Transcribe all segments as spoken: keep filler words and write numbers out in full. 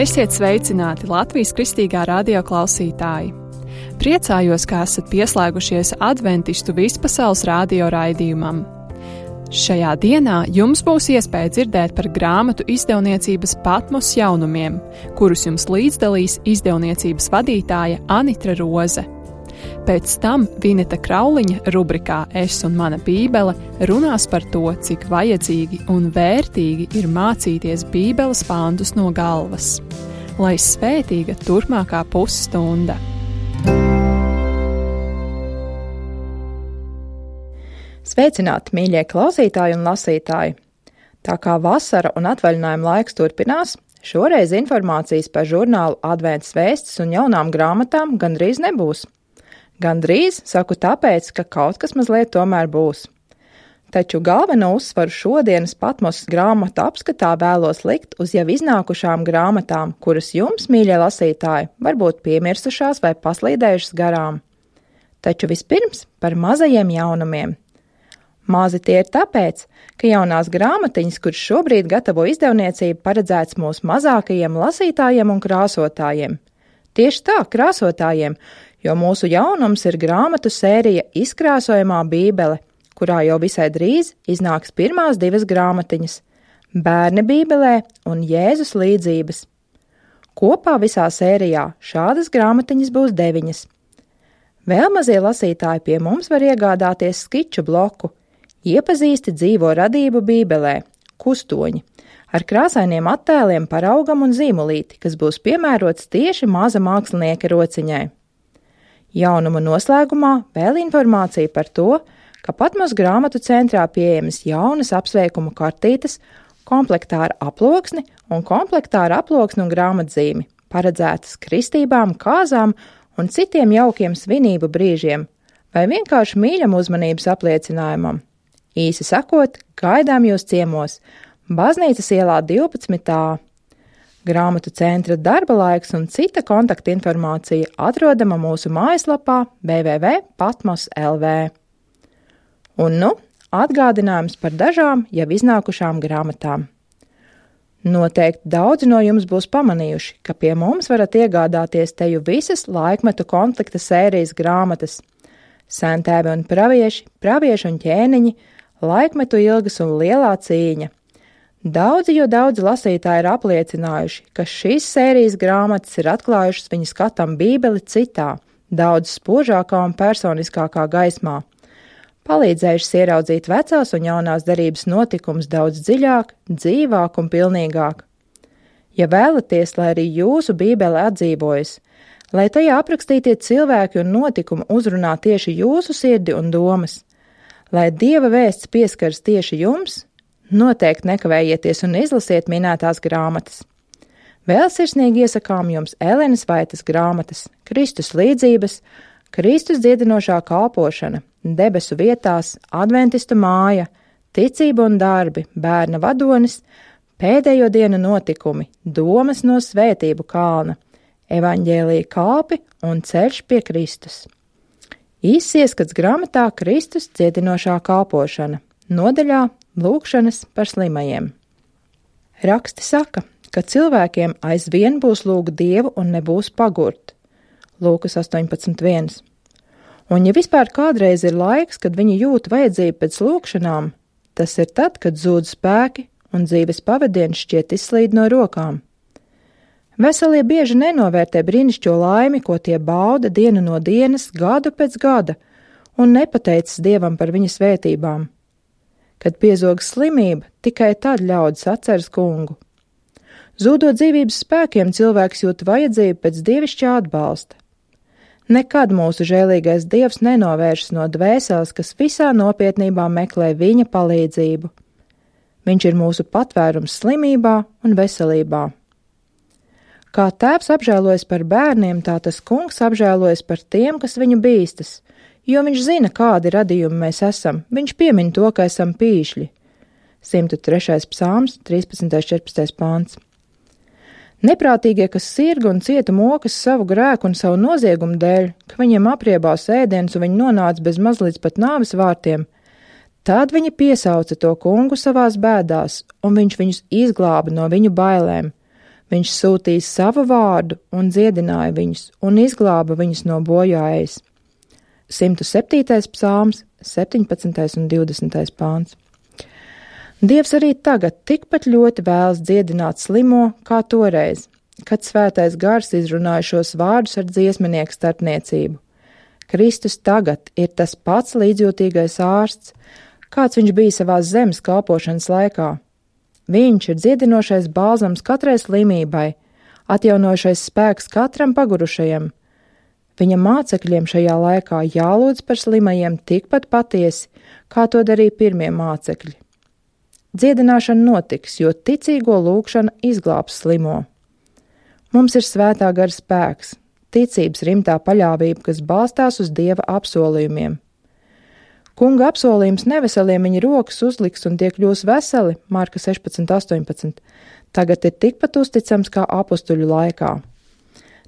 Esiet sveicināti Latvijas Kristīgā radio klausītāji! Priecājos, ka esat pieslēgušies Adventistu vispasaules radio raidījumam. Šajā dienā jums būs iespēja dzirdēt par grāmatu izdevniecības Patmos jaunumiem, kurus jums līdzdalīs izdevniecības vadītāja Anitra Roze. Pēc tam Vineta Krauliņa rubrikā Es un mana bībele runās par to, cik vajadzīgi un vērtīgi ir mācīties bībeles pāntus no galvas. Lai svētīga turpmākā pusstunda! Sveicināti, mīļie klausītāji un lasītāji! Tā kā vasara un atvaļinājuma laiks turpinās, šoreiz informācijas par žurnālu Adventas vēstis un jaunām grāmatām gandrīz nebūs. Gandrīz saku tāpēc, ka kaut kas mazliet tomēr būs. Taču galveno uzsvaru šodienas Patmos grāmatu apskatā vēlos likt uz jau iznākušām grāmatām, kuras jums, mīļie lasītāji, varbūt piemirsušās vai paslīdējušas garām. Taču vispirms par mazajiem jaunumiem. Mazi tie ir tāpēc, ka jaunās grāmatiņas, kuras šobrīd gatavo izdevniecība, paredzēts mūsu mazākajiem lasītājiem un krāsotājiem. Tieši tā, krāsotājiem, jo mūsu jaunums ir grāmatu sērija Izkrāsojamā bībele, kurā jau visai drīz iznāks pirmās divas grāmatiņas – Bērni bībelē un Jēzus līdzības. Kopā visā sērijā šādas grāmatiņas būs deviņas. Vēl mazie lasītāji pie mums var iegādāties skiču bloku Iepazīsti dzīvo radību bībelē – Kustoņi, ar krāsainiem attēliem par augam un zīmolīti, kas būs piemērots tieši maza mākslinieka rociņai. Jaunuma noslēgumā vēl informācija par to, ka Patmos grāmatu centrā pieejamas jaunas apsveikumu kartītes, komplektā ar aploksni un komplektā ar aploksni un grāmatzīmi, paredzētas kristībām, kāzām un citiem jaukiem svinību brīžiem, vai vienkārši mīļam uzmanības apliecinājumam. Īsi sakot, gaidām jūs ciemos, Baznīcas ielā divpadsmit A. Grāmatu centra darba laiks un cita kontakta informācija atrodama mūsu mājaslapā w w w punkt patmos punkt l v. Un nu, atgādinājums par dažām jau iznākušām grāmatām. Noteikti daudzi no jums būs pamanījuši, ka pie mums varat iegādāties teju visas laikmetu konflikta sērijas grāmatas – Sentēvi un pravieši, pravieši un ķēniņi, laikmetu ilgas un lielā cīņa. Daudzi, jo daudzi lasītāji ir apliecinājuši, ka šīs sērijas grāmatas ir atklājušas viņu skatam bībeli citā, daudz spožākā un personiskākā gaismā, palīdzējušas ieraudzīt vecās un jaunās derības notikumus daudz dziļāk, dzīvāk un pilnīgāk. Ja vēlaties, lai arī jūsu bībele atdzīvojas, lai tajā aprakstītie cilvēki un notikumi uzrunā tieši jūsu sirdi un domas, lai Dieva vēsts pieskaras tieši jums, noteikti nekavējieties un izlasiet minētās grāmatas. Vēl sirsnīgi iesakām jums Elenes Vaitas grāmatas Kristus līdzības, Kristus dziedinošā kalpošana, debesu vietās, adventistu māja, ticība un darbi, bērna vadonis, pēdējo dienu notikumi, domas no svētību kalna, evaņģēlija kāpi un ceļš pie Kristus. Īsts ieskats grāmatā Kristus dziedinošā kalpošana, nodaļā Lūkšanas par slimajiem. Raksti saka, ka cilvēkiem aizvien būs lūgt Dievu un nebūs pagurt. Lūkas astoņpadsmit viens. Un ja vispār kādreiz ir laiks, kad viņi jūt vajadzību pēc lūkšanām, tas ir tad, kad zūd spēki un dzīves pavadiens šķiet izslīd no rokām. Veselie bieži nenovērtē brīnišķo laimi, ko tie bauda dienu no dienas, gadu pēc gada, un nepateicas Dievam par viņa svētībām. Kad piezog slimība, tikai tad ļaudis atceras kungu. Zūdot dzīvības spēkiem, cilvēks jūt vajadzību pēc dievišķā atbalsta. Nekad mūsu žēlīgais Dievs nenovēršas no dvēseles, kas visā nopietnībā meklē viņa palīdzību. Viņš ir mūsu patvērums slimībā un veselībā. Kā tēvs apžēlojas par bērniem, tā tas kungs apžēlojas par tiem, kas viņu bīstas, jo viņš zina, kādi radījumi mēs esam, viņš piemin to, ka esam pīšļi. simt trešais psalms, trīspadsmitais četrpadsmitais pāns. Neprātīgie, kas sirga un cieta mokas savu grēku un savu noziegumu dēļ, ka viņiem apriebās ēdienas un viņi nonāca bez mazliet pat nāves vārtiem, tad viņi piesauca to kungu savās bēdās, un viņš viņus izglāba no viņu bailēm. Viņš sūtīja savu vārdu un dziedināja viņus un izglāba viņus no bojāejas. simt septītais psalms, septiņpadsmitais un divdesmitais pāns. Dievs arī tagad tikpat ļoti vēlas dziedināt slimo, kā toreiz, kad svētais gars izrunāja šos vārdus ar dziesminieku starpniecību. Kristus tagad ir tas pats līdzjūtīgais ārsts, kāds viņš bija savās zemes kalpošanas laikā. Viņš ir dziedinošais balzams katrai slimībai, atjaunošais spēks katram pagurušajam. Viņa mācekļiem šajā laikā jālūdz par slimajiem tikpat patiesi, kā to darīja pirmie mācekļi. Dziedināšana notiks, jo ticīgo lūgšana izglābs slimo. Mums ir svētā gara spēks, ticības rimtā paļāvība, kas balstās uz Dieva apsolījumiem. Kunga apsolījums neveseliem viņa rokas uzliks un tie kļūs veseli, Marka sešpadsmit astoņpadsmit, tagad ir tikpat uzticams kā apustuļu laikā.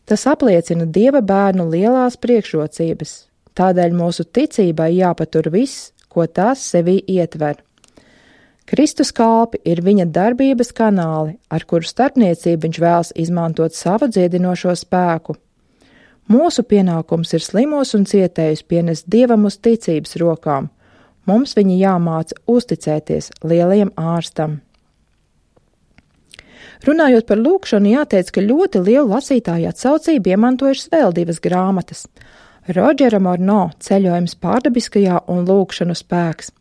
Tas apliecina Dieva bērnu lielās priekšrocības, tādēļ mūsu ticībai jāpatur viss, ko tās sevī ietver. Kristus kalpi ir viņa darbības kanāli, ar kuru starpniecību viņš vēlas izmantot savu dziedinošo spēku. Mūsu pienākums ir slimos un cietējus pienest Dievam uz ticības rokām. Mums viņi jāmāca uzticēties lielajam ārstam. Runājot par lūgšanu, jāteic, ka ļoti lielu lasītāju atsaucību iemantojušas vēl divas grāmatas – Rodžera Morno Ceļojums pārdabiskajā un Lūgšanu spēks.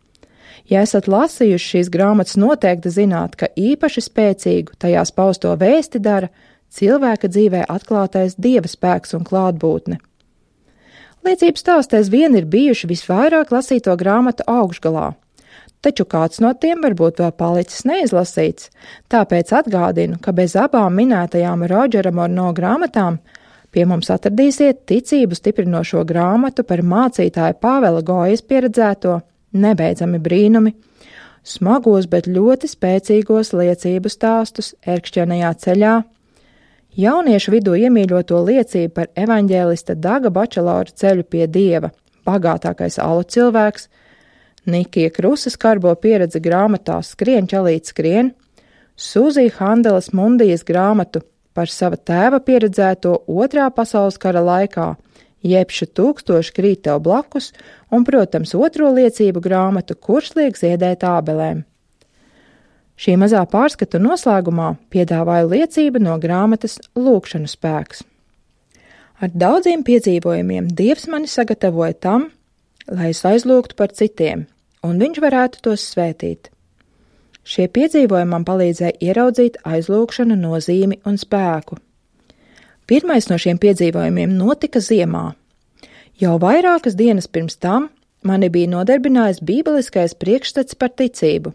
Ja esat lasījuši šīs grāmatas, noteikti zināt, ka īpaši spēcīgu tajās pausto vēsti dara cilvēka dzīvē atklātais Dieva spēks un klātbūtne. Liecības stāstēs vien ir bijuši visvairāk lasīto grāmatu augšgalā, taču kāds no tiem varbūt vēl palicis neizlasīts, tāpēc atgādinu, ka bez abām minētajām Rodžera Morno grāmatām pie mums atradīsiet ticību stiprinošo grāmatu par mācītāju Pāvela Gojas pieredzēto Nebeidzami brīnumi, smagos, bet ļoti spēcīgos liecību stāstus ērkšķenajā ceļā, jauniešu vidū iemīļoto liecību par evaņģēlista Daga Bačelora ceļu pie Dieva, bagātākais alu cilvēks, Nikija Krusas karbo pieredzi grāmatā Skrien, čalīt, skrien, Sūzija Handelas Mundijas grāmatu par sava tēva pieredzēto otrā pasaules kara laikā, Jebša tūkstoši krīt tev blakus un, protams, otro liecību grāmatu Kurš liek ziedēt ābelēm. Šī mazā pārskatu noslēgumā piedāvāju liecību no grāmatas Lūgšanu spēks. Ar daudziem piedzīvojumiem Dievs mani sagatavoja tam, lai es aizlūgtu par citiem, un viņš varētu tos svētīt. Šie piedzīvojumi man palīdzēja ieraudzīt aizlūgšanu nozīmi un spēku. Pirmais no šiem piedzīvojumiem notika ziemā. Jau vairākas dienas pirms tam mani bija nodarbinājis bībeliskais priekšstats par ticību.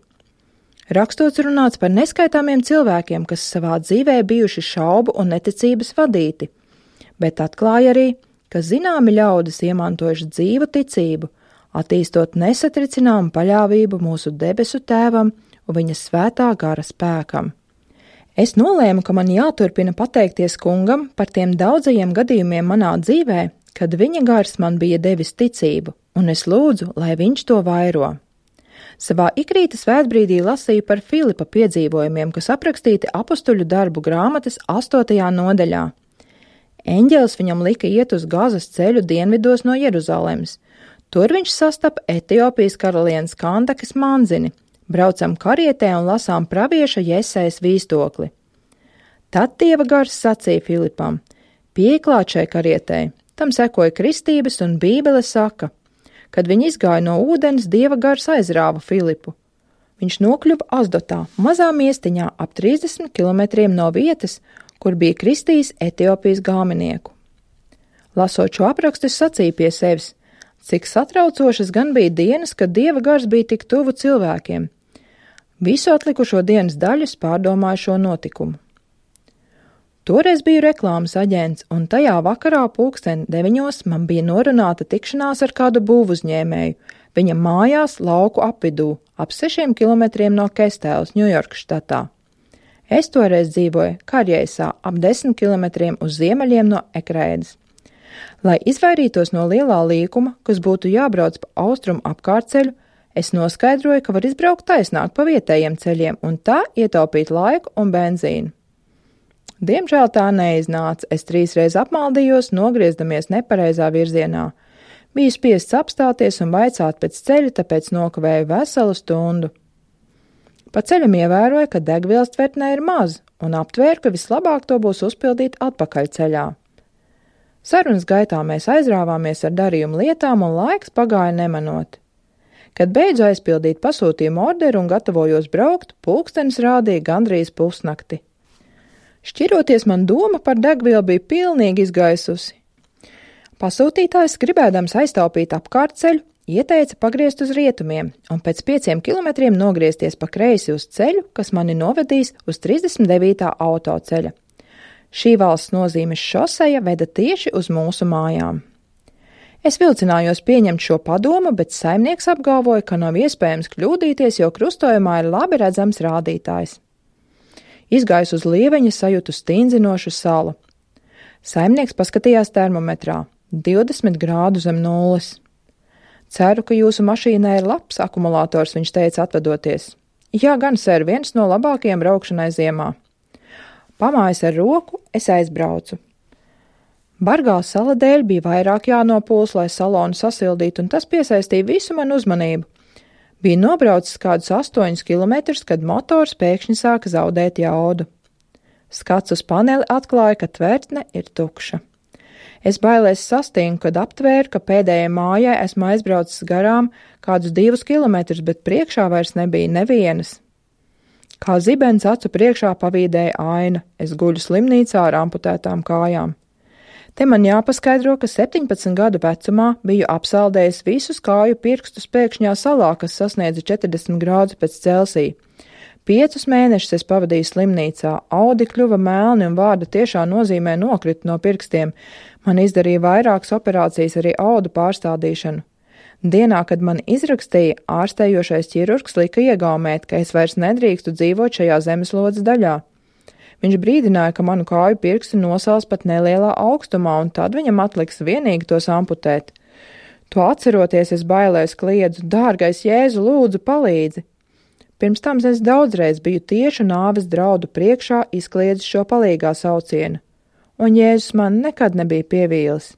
Rakstos runāts par neskaitāmiem cilvēkiem, kas savā dzīvē bijuši šaubu un neticības vadīti, bet atklāja arī, ka zināmi ļaudis iemantojuši dzīvu ticību, attīstot nesatricināmu paļāvību mūsu debesu tēvam un viņa svētā gara spēkam. Es nolēmu, ka man jāturpina pateikties kungam par tiem daudzajiem gadījumiem manā dzīvē, kad viņa gars man bija devis ticību, un es lūdzu, lai viņš to vairo. Savā ikrīta svētbrīdī lasīju par Filipa piedzīvojumiem, kas aprakstīti apustuļu darbu grāmatas astotajā nodaļā. Eņģelis viņam lika iet uz Gazas ceļu dienvidos no Jeruzalemes. Tur viņš sastapa Etiopijas karalienes Kandakas manzini. Braucam karietē un lasām pravieša Jesajas vīstokli. Tad Dieva gars sacīja Filipam: pieklāt šai karietei, tam sekoja kristības un Bībele saka, kad viņi izgāja no ūdens, Dieva gars aizrāva Filipu. Viņš nokļuva Asdotā, mazā miestiņā ap trīsdesmit kilometriem no vietas, kur bija kristījis Etiopijas galmenieku. Lasot šo aprakstu, es sacīju pie sevis, cik satraucošas gan bija dienas, kad Dieva gars bija tik tuvu cilvēkiem. Visu atlikušo dienas daļu pārdomāju šo notikumu. Toreiz biju reklāmas aģents, un tajā vakarā pulksten deviņos man bija norunāta tikšanās ar kādu būvuzņēmēju, viņa mājās lauku apvidū, ap sešiem kilometriem no Kestēlas, Ņujorkas štatā. Es toreiz dzīvoju Karjeisā, ap desmit kilometriem uz ziemeļiem no Ekrēdas. Lai izvairītos no lielā līkuma, kas būtu jābrauc pa austrumu apkārtceļu, es noskaidroju, ka var izbraukt taisnāk pa vietējiem ceļiem un tā ietaupīt laiku un benzīnu. Diemžēl tā neiznāca, es trīsreiz apmaldījos, nogriezdamies nepareizā virzienā. Biju spiests apstāties un vaicāt pēc ceļa, tāpēc nokavēju veselu stundu. Pa ceļam ievēroju, ka degvielas tvertnē ir maz, un aptvēru, ka vislabāk to būs uzpildīt atpakaļ ceļā. Sarunas gaitā mēs aizrāvāmies ar darījumu lietām, un laiks pagāja nemanot. Kad beidzu aizpildīt pasūtījumu orderu un gatavojos braukt, pulkstenis rādīja gandrīz pusnakti. Šķiroties, man doma par degvielu bija pilnīgi izgaisusi. Pasūtītājs, gribēdams aiztaupīt apkārtceļu, ieteica pagriezt uz rietumiem un pēc pieciem kilometriem nogriezties pa kreisi uz ceļu, kas mani novedīs uz trīsdesmit devītā autoceļa. Šī valsts nozīmes šoseja veda tieši uz mūsu mājām. Es vilcinājos pieņemt šo padomu, bet saimnieks apgalvoja, ka nav iespējams kļūdīties, jo krustojumā ir labi redzams rādītājs. Izgājus uz lieveņa, sajūtu stindzinošu salu. Saimnieks paskatījās termometrā – divdesmit grādu zem nulles. Ceru, ka jūsu mašīnai ir labs akumulators, viņš teica atvedoties. Jā, gan, ser, viens no labākajiem braukšanai ziemā. Pamājis ar roku, es aizbraucu. Bargā sala dēļ bija vairāk jānopūls, lai salonu sasildītu, un tas piesaistīja visu manu uzmanību. Bija nobraucis kādus astoņus kilometrus, kad motors pēkšņi sāka zaudēt jaudu. Skats uz paneli atklāja, ka tvertne ir tukša. Es bailēs sastingu, kad aptvēru, ka pēdējai mājai esmu aizbraucis garām kādus divus kilometrus, bet priekšā vairs nebija nevienas. Kā zibens acu priekšā pavīdēja aina, es guļu slimnīcā ar amputētām kājām. Te man jāpaskaidro, ka septiņpadsmit gadu vecumā biju apsaldējis visus kāju pirkstus pēkšņā salā, kas sasniedza četrdesmit grādus pēc Celsija. Piecus mēnešus es pavadīju slimnīcā, audi kļuva melni un vārda tiešā nozīmē nokrita no pirkstiem. Man izdarīja vairākas operācijas, arī audu pārstādīšanu. Dienā, kad man izrakstīja, ārstējošais ķirurgs lika iegaumēt, ka es vairs nedrīkstu dzīvot šajā zemeslodes daļā. Viņš brīdināja, ka manu kāju pirksti nosals pat nelielā augstumā, un tad viņam atliks vienīgi tos amputēt. To atceroties, es bailēs kliedzu, dārgais Jēzu, lūdzu, palīdzi. Pirms tam es daudzreiz biju tieši nāves draudu priekšā izkliedzis šo palīgā saucienu, un Jēzus man nekad nebija pievīlis.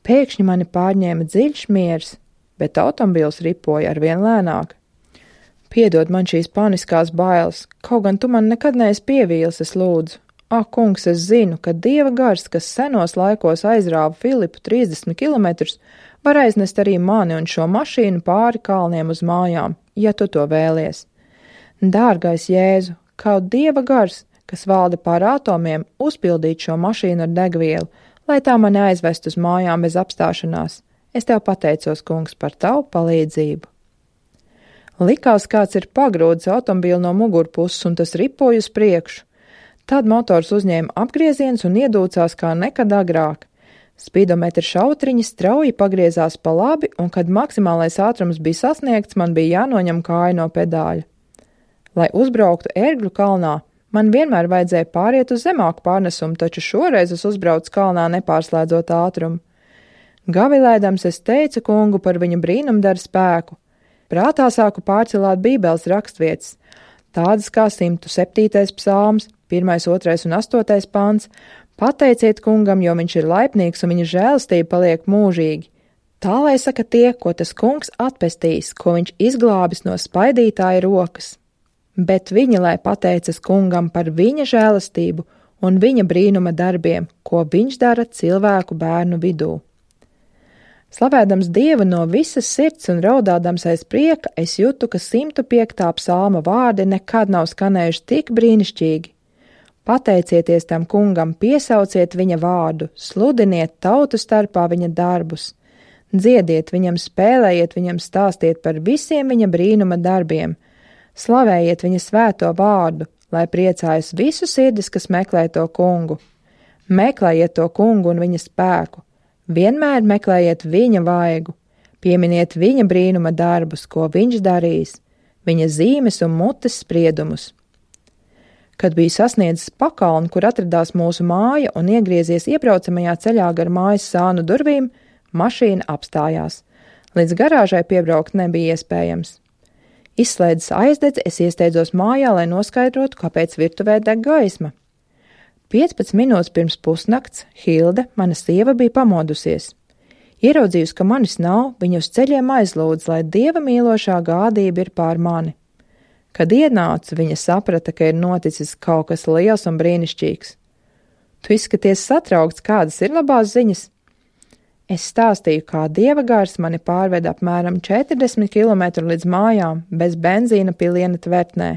Pēkšņi mani pārņēma dziļš miers, bet automobils ripoja arvien lēnāk. Piedod man šīs paniskās bailes, kaut gan tu man nekad neesi pievīlis, es lūdzu. Ak, kungs, es zinu, ka Dieva gars, kas senos laikos aizrāva Filipu trīsdesmit kilometrus, var aiznest arī mani un šo mašīnu pāri kalniem uz mājām, ja tu to vēlies. Dārgais Jēzu, kaut Dieva gars, kas valda pār atomiem, uzpildīt šo mašīnu ar degvielu, lai tā mani aizvest uz mājām bez apstāšanās. Es tev pateicos, kungs, par tavu palīdzību. Likās, kāds ir pagrūdis automobīlu no mugurpuses, un tas ripoja uz priekšu. Tad motors uzņēma apgrieziens un iedūcās kā nekad agrāk. Spīdometra šautriņi strauji pagriezās pa labi, un kad maksimālais ātrums bija sasniegts, man bija jānoņem kāja no pedāļa. Lai uzbrauktu Ērgļu kalnā, man vienmēr vajadzēja pāriet uz zemāku pārnesumu, taču šoreiz es uzbraucu kalnā nepārslēdzot ātrumu. Gavilēdams es teicu kungu par viņa brīnumdara spēku. Prātā sāku pārcelāt bībeles rakstvietas, tādas kā simts septītais psalms, pirmais, otrais un astotais pants. Pateiciet kungam, jo viņš ir laipnīgs un viņa žēlastība paliek mūžīgi. Tā lai saka tie, ko tas kungs atpestīs, ko viņš izglābis no spaidītāja rokas. Bet viņi lai pateicas kungam par viņa žēlastību un viņa brīnuma darbiem, ko viņš dara cilvēku bērnu vidū. Slavēdams Dievu no visas sirds un raudādams aiz prieka, es jūtu, ka simt piektā psalma vārdi nekad nav skanējuši tik brīnišķīgi. Pateicieties tam kungam, piesauciet viņa vārdu, sludiniet tautu starpā viņa darbus. Dziediet viņam, spēlējiet viņam, stāstiet par visiem viņa brīnuma darbiem. Slavējiet viņa svēto vārdu, lai priecājas visu sirdis, kas meklē to kungu. Meklējiet to kungu un viņa spēku. Vienmēr meklējiet viņa vaigu, pieminiet viņa brīnuma darbus, ko viņš darīs, viņa zīmes un mutes spriedumus. Kad biju sasniedzis pakalnu, kur atradās mūsu māja un iegriezies iebraucamajā ceļā gar mājas sānu durvīm, mašīna apstājās. Līdz garāžai piebraukt nebija iespējams. Izslēdzis aizdedzi, es iesteidzos mājā, lai noskaidrotu, kāpēc virtuvē deg gaisma. piecpadsmit minūtes pirms pusnakts Hilde, mana sieva, bija pamodusies. Ieraudzījusi, ka manis nav, viņa uz ceļiem aizlūdz, lai dieva mīlošā gādība ir pār mani. Kad ienāca, viņa saprata, ka ir noticis kaut kas liels un brīnišķīgs. Tu izskaties satraukts, kādas ir labās ziņas? Es stāstīju, kā dieva gars mani pārveda apmēram četrdesmit kilometru līdz mājām, bez benzīna piliena tvertnē.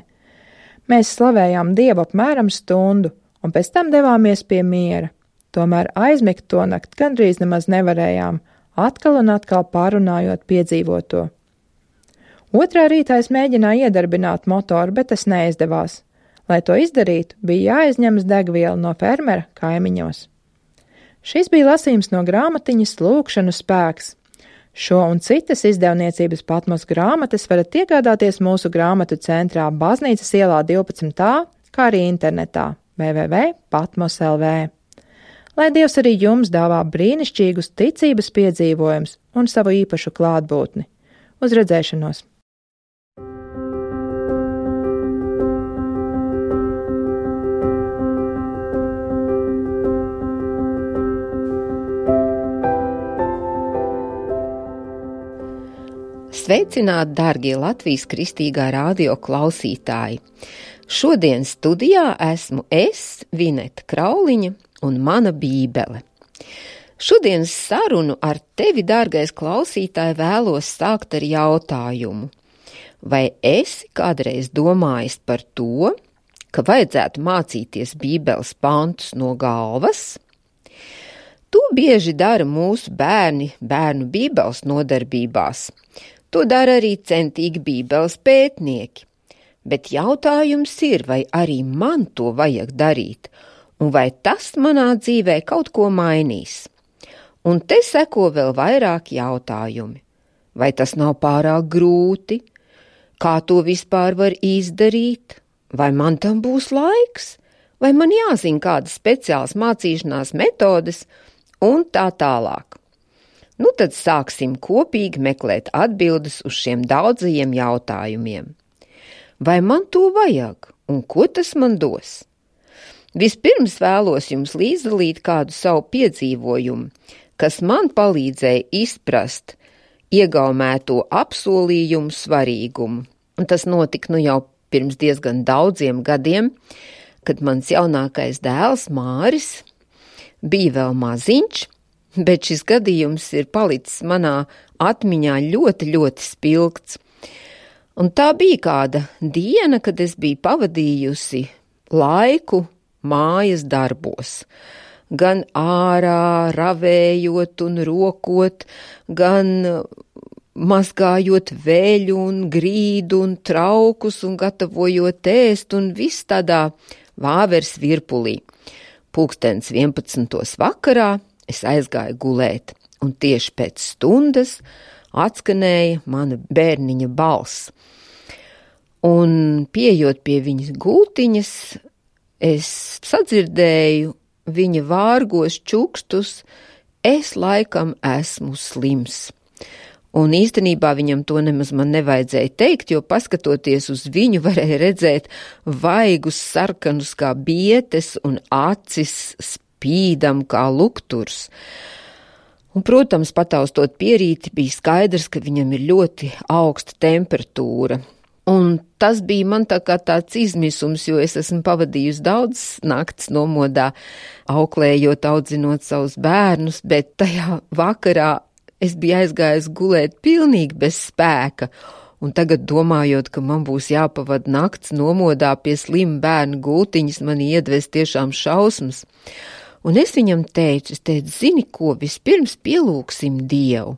Mēs slavējām dievu apmēram stundu, un pēc tam devāmies pie miera. Tomēr aizmigt to nakt gandrīz nemaz nevarējām, atkal un atkal pārunājot piedzīvoto. Otrā rītā es mēģināju iedarbināt motoru, bet tas neizdevās. Lai to izdarītu, bija jāizņemas degviela no fermera kaimiņos. Šis bija lasījums no grāmatiņas Lūkšanu spēks. Šo un citas izdevniecības Patmos grāmatas varat iegādāties mūsu grāmatu centrā Baznīcas ielā divpadsmit A, kā arī internetā w w w punkt patmos punkt l v. Lai Dievs arī jums dāvā brīnišķīgus ticības piedzīvojumus un savu īpašu klātbūtni. Uz redzēšanos! Sveicināti, dārgie Latvijas Kristīgā radio klausītāji! Šodien studijā esmu es, Vineta Krauliņa, un mana bībele. Šodienas sarunu ar tevi, dārgais klausītāji, vēlos sākt ar jautājumu. Vai esi kādreiz domājis par to, ka vajadzētu mācīties bībeles pantus no galvas? To bieži dara mūsu bērni bērnu bībeles nodarbībās. To dara arī centīgi bībeles pētnieki. Bet jautājums ir, vai arī man to vajag darīt, un vai tas manā dzīvē kaut ko mainīs. Un te seko vēl vairāk jautājumi. Vai tas nav pārāk grūti? Kā to vispār var izdarīt? Vai man tam būs laiks? Vai man jāzina kādas speciālas mācīšanās metodes? Un tā tālāk. Nu tad sāksim kopīgi meklēt atbildes uz šiem daudzajiem jautājumiem. Vai man to vajag? Un ko tas man dos? Vispirms vēlos jums līdzdalīt kādu savu piedzīvojumu, kas man palīdzēja izprast iegaumēto apsolījumu svarīgumu. Un tas notika nu jau pirms diezgan daudziem gadiem, kad mans jaunākais dēls Māris bija vēl maziņš, bet šis gadījums ir palicis manā atmiņā ļoti, ļoti spilgts. Un tā bija kāda diena, kad es biju pavadījusi laiku mājas darbos. Gan ārā, ravējot un rokot, gan mazgājot veļu un grīdu un traukus un gatavojot ēst un viss tādā vāveres virpulī. Pulkstens vienpadsmitos vakarā es aizgāju gulēt, un tieši pēc stundas atskanēja mana bērniņa balss. Un pieejot pie viņas gultiņas, es sadzirdēju viņa vārgos čukstus, es laikam esmu slims. Un īstenībā viņam to nemaz man nevajadzēja teikt, jo paskatoties uz viņu varēja redzēt vaigus sarkanus kā bietes un acis spīdam kā lukturs. Un, protams, pataustot pierīti, bija skaidrs, ka viņam ir ļoti augsta temperatūra. Un tas bija man tā kā tāds izmisums, jo es esmu pavadījusi daudz nakts nomodā, auklējot, audzinot savus bērnus, bet tajā vakarā es biju aizgājusi gulēt pilnīgi bez spēka. Un tagad domājot, ka man būs jāpavada nakts nomodā pie slima bērnu gultiņas, man iedves tiešām šausmas. Un es viņam teicu, es teicu, zini ko, vispirms pielūksim Dievu.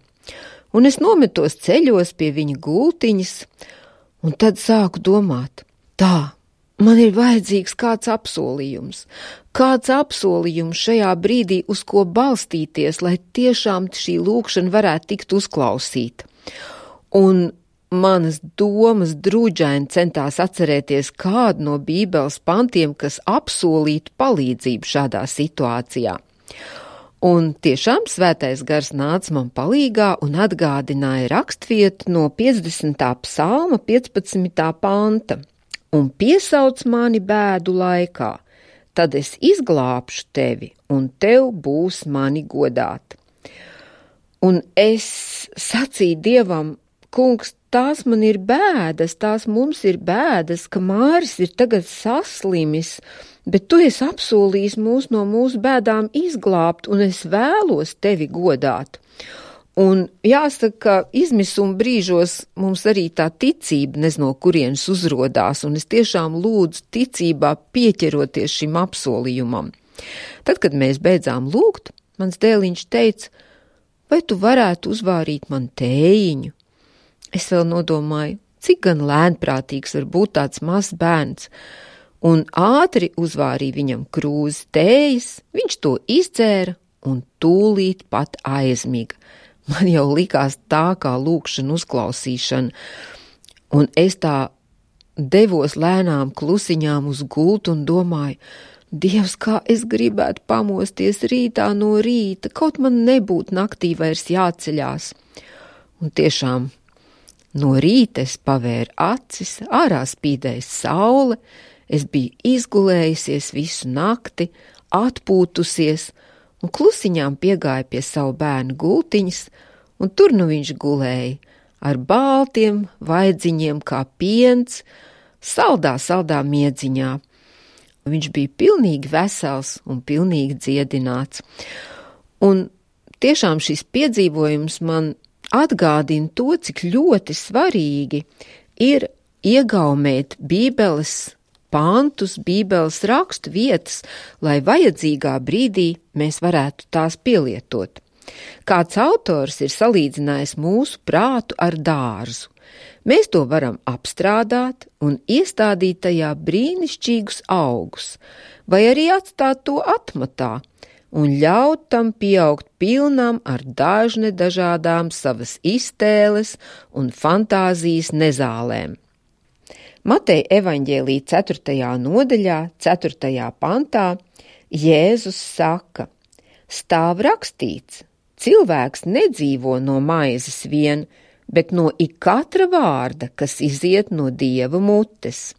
Un es nometos ceļos pie viņa gultiņas, un tad sāku domāt, tā, man ir vajadzīgs kāds apsolījums, kāds apsolījums šajā brīdī, uz ko balstīties, lai tiešām šī lūkšana varētu tikt uzklausīta. Un manas domas druģaini centās atcerēties kādu no bībeles pantiem, kas apsolītu palīdzību šādā situācijā. Un tiešām svētais gars nāca man palīgā un atgādināja rakstvietu no piecdesmitā psalma piecpadsmitā panta. Un piesauc mani bēdu laikā, tad es izglābšu tevi, un tev būs mani godāt. Un es sacīju Dievam, kungs, tās man ir bēdas, tās mums ir bēdas, ka Māris ir tagad saslimis, bet tu esi apsolījis mūs no mūsu bēdām izglābt, un es vēlos tevi godāt. Un jāsaka, ka izmisuma brīžos mums arī tā ticība nezinu, no kurienes uzrodās, un es tiešām lūdzu ticībā pieķeroties šim apsolījumam. Tad, kad mēs beidzām lūgt, mans dēliņš teica, vai tu varētu uzvārīt man tējiņu? Es vēl nodomāju, cik gan lēnprātīgs var būt tāds mazs bērns, un ātri uzvārīja viņam krūzi tējas, viņš to izdzēra un tūlīt pat aizmiga. Man jau likās tā kā lūkšana uzklausīšana, un es tā devos lēnām klusiņām uz gultu un domāju, Dievs, kā es gribētu pamosties rītā no rīta, kaut man nebūtu naktī vairs jāceļās. Un tiešām no rīta es pavēru acis, ārā spīdēja saule, es biju izgulējusies visu nakti, atpūtusies, un klusiņām piegāja pie savu bērnu gultiņas, un tur nu viņš gulēja, ar baltiem vaidziņiem kā piens, saldā, saldā miedziņā. Viņš bija pilnīgi vesels un pilnīgi dziedināts. Un tiešām šis piedzīvojums man atgādina to, cik ļoti svarīgi ir iegaumēt Bībeles pantus, Bībeles rakstu vietas, lai vajadzīgā brīdī mēs varētu tās pielietot. Kāds autors ir salīdzinājis mūsu prātu ar dārzu. Mēs to varam apstrādāt un iestādīt tajā brīnišķīgus augus, vai arī atstāt to atmatā un ļaut tam pieaugt pilnam ar dažne dažādām savas iztēles un fantāzijas nezālēm. Mateja evaņģēlija ceturtajā nodaļā, ceturtajā pantā, Jēzus saka, stāv rakstīts, cilvēks nedzīvo no maizes vien, bet no ik katra vārda, kas iziet no Dieva mutes.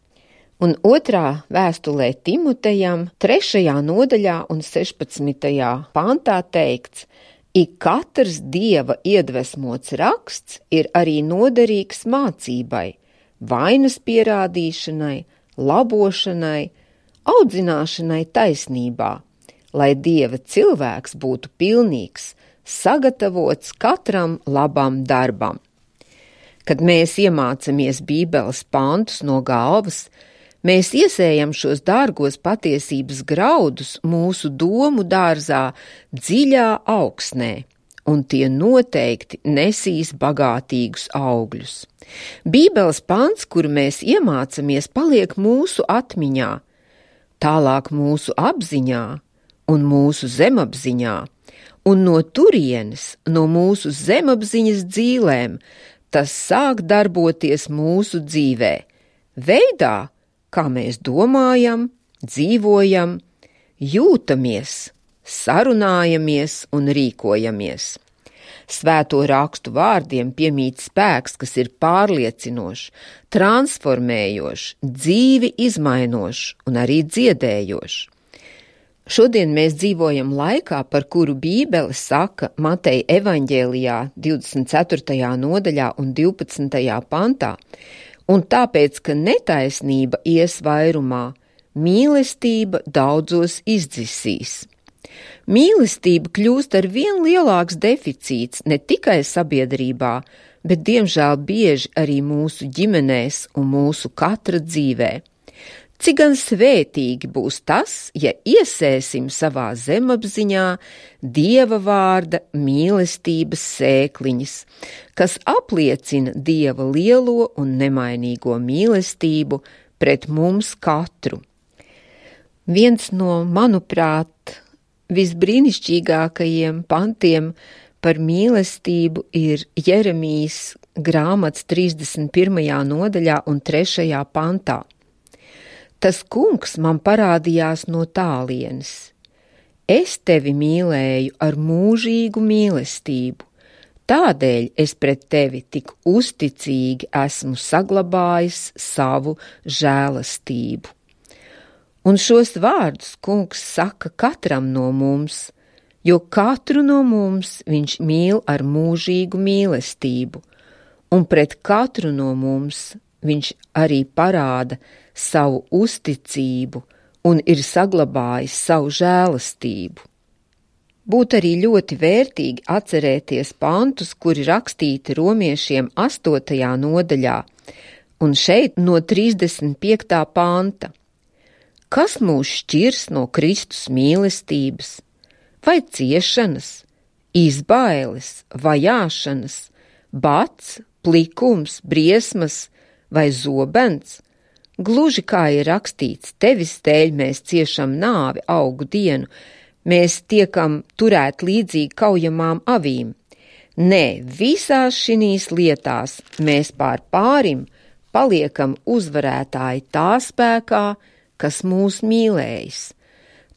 Un otrā vēstulē Timotejam, trešajā nodaļā un sešpadsmitajā pantā teikts, ik katrs Dieva iedvesmots raksts ir arī noderīgs mācībai, vainas pierādīšanai, labošanai, audzināšanai taisnībā, lai Dieva cilvēks būtu pilnīgs, sagatavots katram labam darbam. Kad mēs iemācamies Bībeles pantus no galvas, mēs iesējam šos dārgos patiesības graudus mūsu domu dārzā dziļā augsnē, un tie noteikti nesīs bagātīgus augļus. Bībeles pants, kuru mēs iemācamies, paliek mūsu atmiņā, tālāk mūsu apziņā un mūsu zemapziņā, un no turienes, no mūsu zemapziņas dzīlēm, tas sāk darboties mūsu dzīvē, veidā, kā mēs domājam, dzīvojam, jūtamies, sarunājamies un rīkojamies. Svēto rakstu vārdiem piemīt spēks, kas ir pārliecinošs, transformējošs, dzīvi izmainošs un arī dziedējošs. Šodien mēs dzīvojam laikā, par kuru Bībele saka Mateja evaņģēlijā divdesmit ceturtajā nodaļā un divpadsmitajā pantā, un tāpēc, ka netaisnība ies vairumā, mīlestība daudzos izdzisīs. Mīlestība kļūst ar vien lielāks deficīts ne tikai sabiedrībā, bet diemžēl bieži arī mūsu ģimenēs un mūsu katra dzīvē. Cik gan svētīgi būs tas, ja iesēsim savā zemapziņā Dieva vārda mīlestības sēkliņas, kas apliecina Dieva lielo un nemainīgo mīlestību pret mums katru. Viens no, manuprāt, visbrīnišķīgākajiem pantiem par mīlestību ir Jeremijas grāmatas trīsdesmit pirmajā nodaļā un trešajā pantā. Tas kungs man parādījās no tālienes. Es tevi mīlēju ar mūžīgu mīlestību, tādēļ es pret tevi tik uzticīgi esmu saglabājis savu žēlastību. Un šos vārdus Kungs saka katram no mums, jo katru no mums viņš mīl ar mūžīgu mīlestību, un pret katru no mums viņš arī parāda savu uzticību un ir saglabājis savu žēlastību. Būtu arī ļoti vērtīgi atcerēties pantus, kuri rakstīti romiešiem astotajā nodaļā, un šeit no trīsdesmit piektā panta. Kas mūs šķirs no Kristus mīlestības? Vai ciešanas, izbailes, vajāšanas, bats, plikums, briesmas vai zobens? Gluži kā ir rakstīts, tevis dēļ mēs ciešam nāvi augu dienu, mēs tiekam turēt līdzīgi kaujamām avīm. Nē, visās šinīs lietās mēs pār pārim paliekam uzvarētāji tā spēkā, kas mūs mīlējis.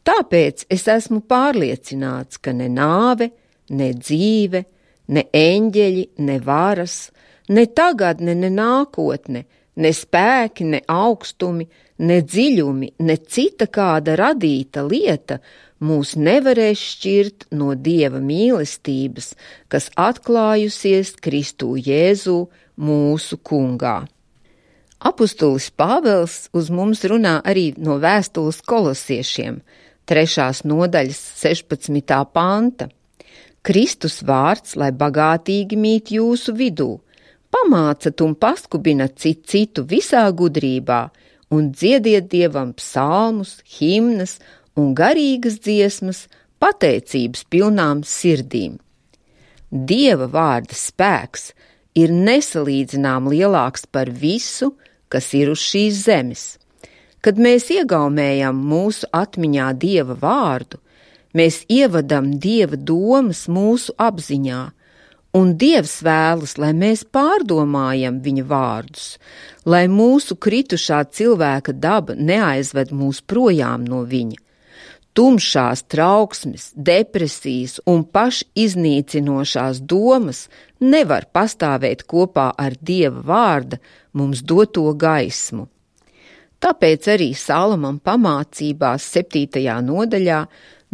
Tāpēc es esmu pārliecināts, ka ne nāve, ne dzīve, ne eņģeļi, ne varas, ne tagadne, ne nākotne, ne spēki, ne augstumi, ne dziļumi, ne cita kāda radīta lieta mūs nevarēs šķirt no Dieva mīlestības, kas atklājusies Kristū Jēzū mūsu Kungā. Apustulis Pāvels uz mums runā arī no vēstules kolosiešiem, trešās nodaļas sešpadsmitā panta. Kristus vārds, lai bagātīgi mīt jūsu vidū, pamācat un paskubinat cit citu visā gudrībā un dziediet Dievam psalmus, himnas un garīgas dziesmas pateicības pilnām sirdīm. Dieva vārda spēks ir nesalīdzinām lielāks par visu, kas ir uz šīs zemes. Kad mēs iegaumējam mūsu atmiņā Dieva vārdu, mēs ievadam Dieva domas mūsu apziņā, un Dievs vēlas, lai mēs pārdomājam viņa vārdus, lai mūsu kritušā cilvēka daba neaizved mūs projām no viņa. Tumšās trauksmes, depresijas un pašiznīcinošās domas nevar pastāvēt kopā ar Dieva vārda mums doto gaismu. Tāpēc arī Salamam pamācībās septītajā nodaļā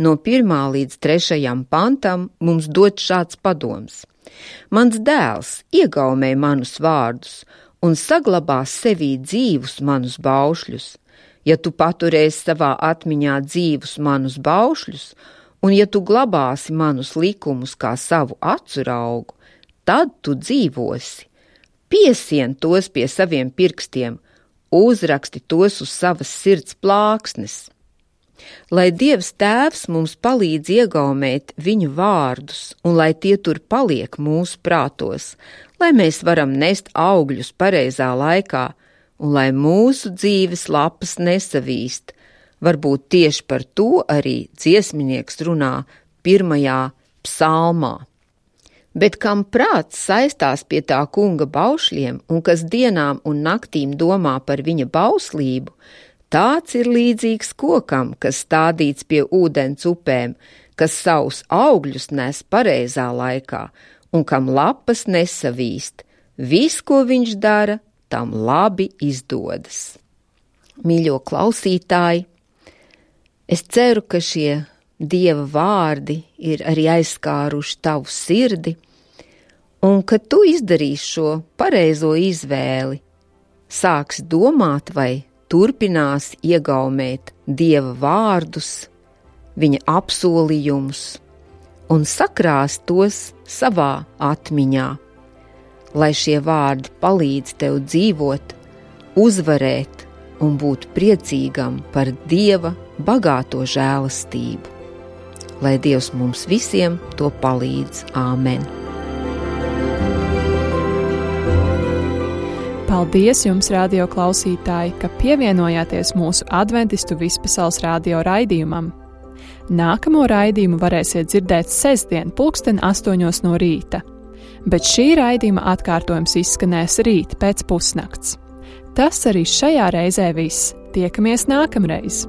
no pirmā līdz trešajam pantam mums dod šāds padoms. Mans dēls, iegaumē manus vārdus un saglabā sevī dzīvus manus baušļus. Ja tu paturēsi savā atmiņā dzīvus manus baušļus, un ja tu glabāsi manus likumus kā savu acu raugu, tad tu dzīvosi. Piesien tos pie saviem pirkstiem, uzraksti tos uz savas sirds plāksnes. Lai Dievs Tēvs mums palīdz iegaumēt viņu vārdus, un lai tie tur paliek mūsu prātos, lai mēs varam nest augļus pareizā laikā, un lai mūsu dzīves lapas nesavīst. Varbūt tieši par to arī dziesminieks runā pirmajā psalmā. Bet kam prāts saistās pie tā kunga baušļiem un kas dienām un naktīm domā par viņa bauslību, tāds ir līdzīgs kokam, kas stādīts pie ūdens upēm, kas savus augļus nes pareizā laikā un kam lapas nesavīst. Viss, ko viņš dara, tam labi izdodas. Mīļo klausītāji, es ceru, ka šie Dieva vārdi ir arī aizskāruši tavu sirdi, un ka tu izdarīsi šo pareizo izvēli, sāksi domāt vai turpinās iegaumēt Dieva vārdus, viņa apsolījumus un sakrās tos savā atmiņā. Lai šie vārdi palīdz tev dzīvot, uzvarēt un būt priecīgam par Dieva bagāto žēlastību. Lai Dievs mums visiem to palīdz. Āmen! Paldies jums, radio klausītāji, ka pievienojāties mūsu adventistu vispasaules radio raidījumam. Nākamo raidījumu varēsiet dzirdēt sestdien pulksten astoņos no rīta. Bet šī raidījuma atkārtojums izskanēs rīt pēc pusnakts. Tas arī šajā reizē viss. Tiekamies nākamreiz!